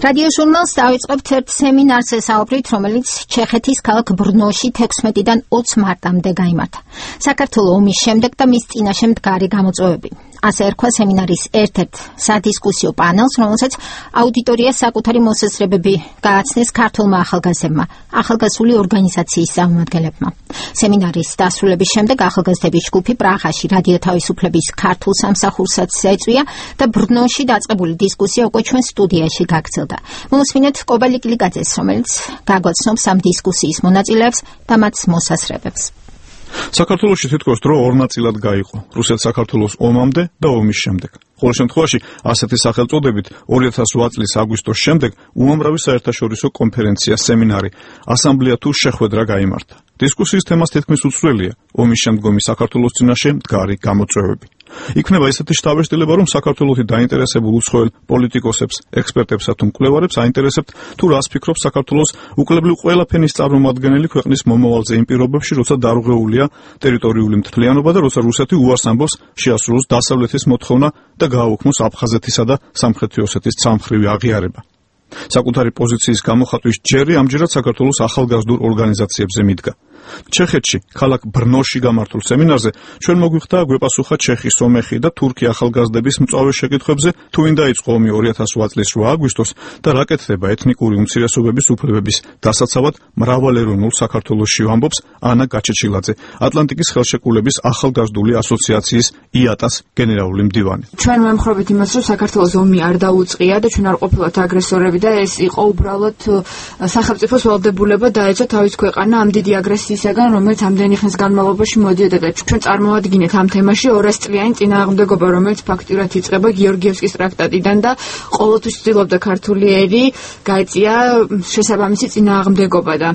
რადიო ჟურნალს დავიწყებთ ერთ სემინარს ესაუბრით, რომელიც ჩეხეთის ქალაქ ბრნოში 16-დან 20 მარტამდე გაიმართა. საქართველოს ომის შემდეგ და მის წინაშე მდგარი გამოწვევები. ასე ერქვა სემინარის ერთ-ერთ სადისკუსიო პანელს, რომელსაც აუდიტორიას საკუთარი მოსაზრებები გააცნეს ქართულმა ახალგაზრდებმა, ახალგაზრდული ორგანიზაციის წარმომადგენლებმა. სემინარის დასრულების შემდეგ ახალგაზრდების ჯგუფი პრაღაში რადიო თავისუფლების ქართულ სამსახურსაც ეწვია და ბრნოში დაწყებული დისკუსია უკვე ჩვენ სტუდიაში გაგრძელდა. მოვუსმინეთ კობალიკ ლიკაძეს, რომელიც გაგვაცნობს ამ დისკუსიის მონაწილეებს და მათ მოსაზრებებს. საქართველოში თითქოს დრო ორ ნაწილად გაიყო: რუსეთ-საქართველოს ომამდე და ომის შემდეგ. ყოველ შემთხვევაში, ასეთი სახელწოდებით 2008 წლის აგვისტოს შემდეგ უამრავი საერთაშორისო კონფერენცია, სემინარი, ასამბლეა თუ შეხვედრა გაიმართა. დისკუსიის თემას თითქმის უცვლელია ომის შემდგომი საქართველოს წინაშე მდგარი გამოწვევები. იქნება ისეთი შთაბეჭდილება, რომ საქართველოსი დაინტერესებულ უცხოელ პოლიტიკოსებს, ექსპერტებსა თუ მკვლევარებს აინტერესებთ, თუ რას ფიქრობს საქართველოს უკლებლივ ყველა ფენის წარმომადგენელი ქვეყნის მომავალზე იმ პირობებში, როცა დარღვეულია ტერიტორიული მთლიანობა და როცა რუსეთი უარს ამბობს შეასრულოს დასავლეთის მოთხოვნა და გააუქმოს აფხაზეთისა და სამხრეთი ოსეთის ცალმხრივი აღიარება. საკუთარი პოზიციის გამოხატვის ჯერი ამჯერად საქართველოს ახალგაზრდულ ორგანიზაციებზე მიდგა. ჩეხეთში, ქალაქ ბრნოში გამართულ სემინარზე ჩვენ მოგვიხდა გვეპასუხა ჩეხის, სომეხი და თურქი ახალგაზრდების მწვავე შეკითხვებზე, თუ ვინ დაიწყო ომი 2008 წლის 8 აგვისტოს და რა კეთდება ეთნიკური უმცირესობების უფლებების დასაცავად მრავალეროვნულ საქართველოში, ამბობს ანა გაჩეჩილაძე, ატლანტიკის ხელშეკრულების ახალგაზრდული ასოციაციის IATA-ს გენერალური მდივანი. ჩვენ ვემხრობთ იმას, რომ საქართველოს ომი არ დაუწყია და ჩვენ არ ყოფილვართ აგრესორები და ეს იყო უბრალოდ სახელმწიფოს ვალდებულება დაეწო თავის ქვეყანა ამ დიდი აგრესიისაგან, რომელიც ამდენი ხნის განმავლობაში მოდიოდა და ჩვენ წარმოვადგინეთ ამ თემაში 200 წლიანი წინააღმდეგობა, რომელიც ფაქტურად იწყება გიორგიევსკის ტრაქტატიდან და ყოველთვის ცდილობდა ქართული ერი გაეწია შესაბამისი წინააღმდეგობა და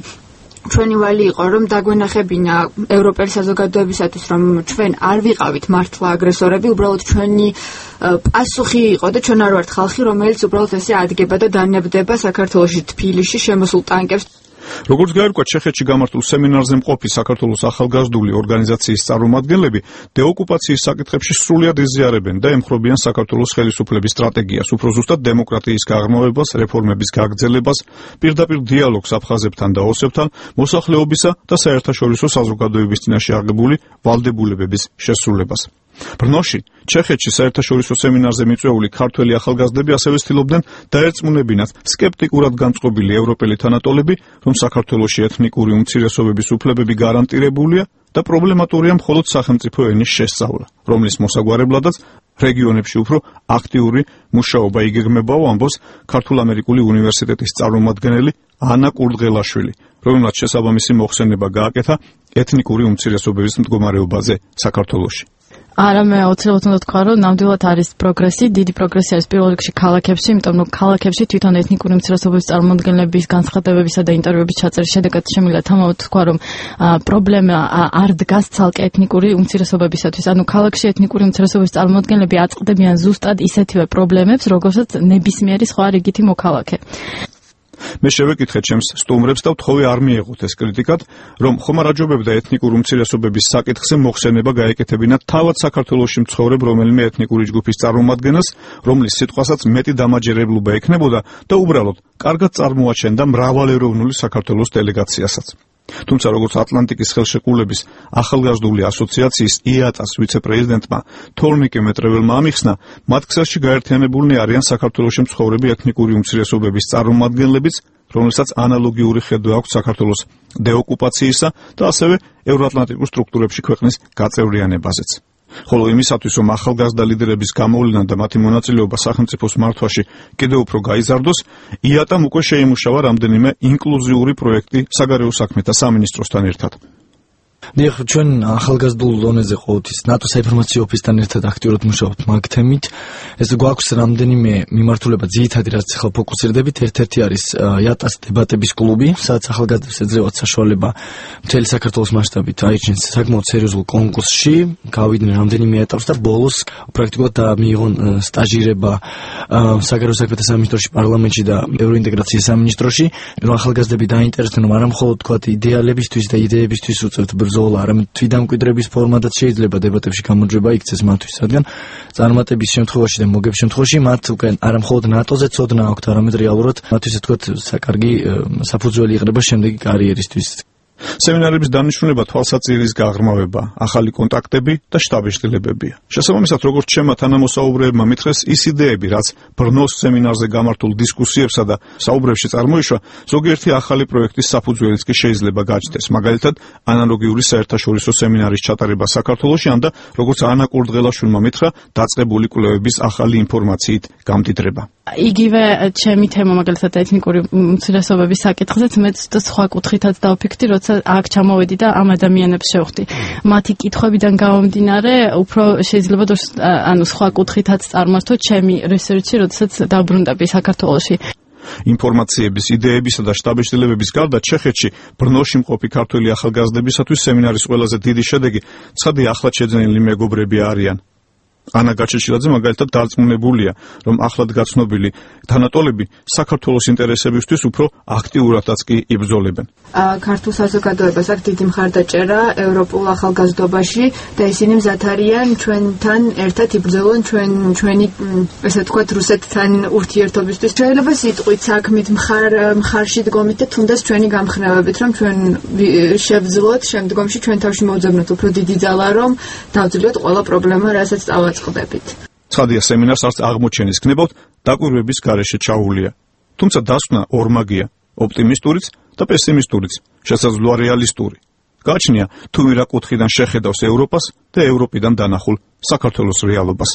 ჩვენი ვალი იყო, რომ დაგვენახებინა ევროპელი საზოგადოებისათვის, რომ ჩვენ არ ვიყავით მართლა აგრესორები, უბრალოდ ჩვენი პასუხი იყო და ჩვენ არ ვართ ხალხი, რომელიც უბრალოდ ესე ადგება და დანებდება საქართველოში თბილისში შემოსულ ტანკებს. როგორც გაირკვა, ჩეხეთში გამართულ სემინარზე მყოფი საქართველოს ახალგაზრდული ორგანიზაციის წარმომადგენლები დეოკუპაციის საკითხებში სრულად იზიარებენ და ემხრობიან საქართველოს ხელისუფლების სტრატეგიას, უფრო ზუსტად დემოკრატიის გაღრმავებას, რეფორმების გაგრძელებას, პირდაპირ დიალოგს აფხაზებთან და ოსებთან, მოსახლეობისა და საერთაშორისო საზოგადოების წინაშე აღებული ვალდებულებების შესრულებას. ბრნოში, ჩეხეთში საერთაშორისო სემინარზე მიწვეული ქართველი ახალგაზრდები ასევე ცდილობდნენ დაერწმუნებინათ სკეპტიკურად განწყობილი ევროპელი თანატოლები, რომ საქართველოში ეთნიკური უმცირესობების უფლებები გარანტირებულია და პრობლემატურია მხოლოდ სახელმწიფო ენის შესწავლა, რომლის მოსაგვარებლადაც რეგიონებში უფრო აქტიური მუშაობა იგეგმებაო, ამბობს ქართულ-ამერიკული უნივერსიტეტის წარმომადგენელი ანა კურდღელაშვილი, რომელმაც შესაბამისი მოხსენება გააკეთა ეთნიკური უმცირესობების მდგომარეობაზე საქართველოში. არა, მე აუცილებლად უნდა თქვა, რომ ნამდვილად არის პროგრესი, დიდი პროგრესი არის პირველ რიგში ქალაქებში, იმიტომ რომ ქალაქებში თვითონ ეთნიკური უმცირესობების წარმომადგენლების განცხადებებისა და ინტერვიუების ჩაწერის შედეგად შემიძლია თამამად თქვა, რომ პრობლემა არ დგას ცალკე ეთნიკური უმცირესობებისათვის. ანუ ქალაქში ეთნიკური უმცირესობების წარმომადგენლები აწყდებიან ზუსტად ისეთივე პრობლემებს, როგორცაც ნებისმიერი სხვა რიგითი მოქალაქე. მე შევეკითხე ჩემს სტუმრებს და ვთხოვე არ მიეღოთ ეს კრიტიკად, რომ ხომ არ აჯობებდა ეთნიკური უმცირესობების საკითხზე მოხსენება გაეკეთებინათ თავად საქართველოში მცხოვრებ რომელიმე ეთნიკური ჯგუფის წარმომადგენელს, რომლის სიტყვასაც მეტი დამაჯერებლობა ექნებოდა და უბრალოდ კარგად წარმოაჩენდა მრავალეროვნული საქართველოს დელეგაციასაც. თუმცა როგორც ატლანტიკის ხელშეკრულების ახალგაზრდული ასოციაციის IATA-ს ვიცე-პრეზიდენტმა თორნიკე მეტრეველმა ამიხსნა, მათ ქსელში გაერთიანებულნი არიან საქართველოში მცხოვრები ეთნიკური უმცირესობების წარმომადგენლებიც, რომელსაც ანალოგიური ხედვა აქვს საქართველოს დეოკუპაციისა და ასევე ევროატლანტიკურ სტრუქტურებში ქვეყნის გაწევრიანებაზეც. ხოლო იმისათვის, რომ ახალგაზრდა ლიდერების გამოვლენა და მათი მონაწილეობა სახელმწიფოს მართვაში კიდევ უფრო გაიზარდოს, IATA-მ უკვე შეიმუშავა რამდენიმე ინკლუზიური პროექტი საგარეო საქმეთა სამინისტროსთან ერთად. დიახ, ჩვენ ახალგაზრდულ დონეზე ყოველთვის ნატო საინფორმაციო ოფისთან ერთად აქტიურად მუშაობთ მაგ თემით. ეს გვაქვს რამდენიმე მიმართულება, ძირითადი რაც ახლა ფოკუსირდებით, ერთ-ერთი არის IATA-ს დებატების კლუბი, სადაც ახალგაზრდებს ეძლევათ საშუალება მთელი საქართველოს მასშტაბით აირჩიეს საკმაოდ სერიოზულ კონკურსში, გავიდნენ რამდენიმე ეტაპს და ბოლოს პრაქტიკულად მიიღონ სტაჟირება საგარეო საქმეთა სამინისტროში, პარლამენტში და ევროინტეგრაციის სამინისტროში, რომ ახალგაზრდები დაინტერესდნენ, რომ არა მხოლოდ თქვათ იდეალებისთვის და იდეებისთვის უწევთ ბრძოლა, ბრძოლა, არამედ თვითდამკვიდრების ფორმადაც შეიძლება დებატებში გამოძრება იქცეს მათთვის, რადგან წარმატების შემთხვევაში და მოგების შემთხვევაში მათ უკვე არა მხოლოდ ნატოზე ცოდნა აქვთ, არამედ რეალურად მათთვის ასე ვთქვათ საკარგი საფუძველი იყრება შემდეგი კარიერისთვის. სემინარების დანიშნულება თვალსაჩინოს გაღრმავება, ახალი კონტაქტები და შტაბეშტილებებია. შესაბამისად, როგორც ჩემმა თანამოსაუბრეებმა მითხრეს, ის იდეები, რაც ბრნოს სემინარზე გამართულ დისკუსიებსა და საუბრებში წარმოიშვა, ზოგიერთი ახალი პროექტის საფუძველიც კი შეიძლება გაჩნდეს. მაგალითად, ანალოგიური საერთაშორისო სემინარის ჩატარება საქართველოში, ან და როგორც ანა კურდღელაშვილმა მითხრა, დაწყებული კვლევების ახალი ინფორმაციით გამდიდრება. იგივე ჩემი თემა მაგალითად ეთნიკური უმცირესობების საკითხზეც მეც სხვა კუთხითაც დავფიქრდი, როცა აქ ჩამოვედი და ამ ადამიანებს შევხვდი. მათი კითხვებიდან გამომდინარე, უფრო შეიძლება სხვა კუთხითაც წარმართო ჩემი რესერჩი, როდესაც დაბრუნდები საქართველოში. ინფორმაციების, იდეებისა და შტაბეშტილებების გარდა ჩეხეთში ბრნოში მყოფი ქართველი ახალგაზრდებისათვის სემინარის ყველაზე დიდი შედეგი ცხადი ახლად შეძენილი მეგობრები არიან. ანა გაჩეჩილაძე მაგალითად დარწმუნებულია, რომ ახლად გაცნობილი თანატოლები საქართველოს ინტერესებისთვის უფრო აქტიურადაც კი იბრძოლებენ. ქართულ საზოგადოებას აქვს დიდი მხარდაჭერა ევროპულ ახალგაზრდობაში და ისინი მზად არიან ჩვენთან ერთად იბრძოლონ ჩვენი ესე ვთქვათ რუსეთთან ურთიერთობისთვის. შეიძლება სიტყვით საქმით მხარში დგომით და თუნდაც ჩვენი გამხნევებით, რომ ჩვენ შევძლოთ შემდგომში ჩვენ თავში მოვძებნოთ უფრო დიდი ძალა, რომ დავძლიოთ ყველა პრობლემა, რასაც წავაწყდებით. ცხადია, სემინარს არც აღმოჩენის გნებავთ დაკვირვების გარეშე ჩაუვლია. თუმცა დასვნა ორმაგია, ოპტიმისტურიც და პესიმისტურიც, შესაძლოა რეალისტური. გააჩნია თუ ვირა კუთხიდან შეხედავს ევროპას და ევროპიდან დანახულ საქართველოს რეალობას.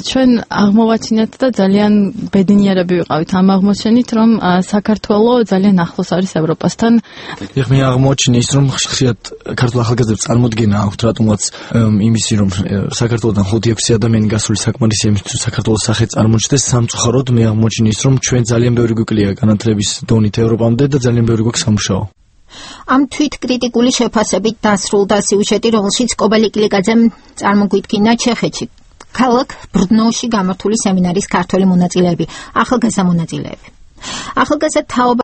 ჩვენ აღმოვაჩინეთ და ძალიან ბედნიერები ვიყავით ამ აღმოჩენით, რომ საქართველო ძალიან ახლოს არის ევროპასთან. მე აღმოჩინე ის, რომ ხშირად ქართულ ახალგაზრდებს წარმოდგენა აქვთ, რატომაც იმისი, რომ საქართველოდან 5-6 ადამიანი გასული საკმარისია იმისთვის, რომ საქართველოს სახე წარმოჩნდეს. სამწუხაროდ მე აღმოჩინე ის, რომ ჩვენ ძალიან ბევრი გვიკლია განათლების დონით ევროპამდე და ძალიან ბევრი გვაქვს სამუშაო. ამ თვითკრიტიკული შეფასებით დასრულდა სიუჟეტი, რომელშიც კობალე კილიკაძემ წარმოგვიდგინა ჩეხეთში ქალაქ ბრნოში გამართული სემინარის ქართველი მონაწილეები, ახალგაზრდა მონაწილეები. ახალგაზრდა თაობა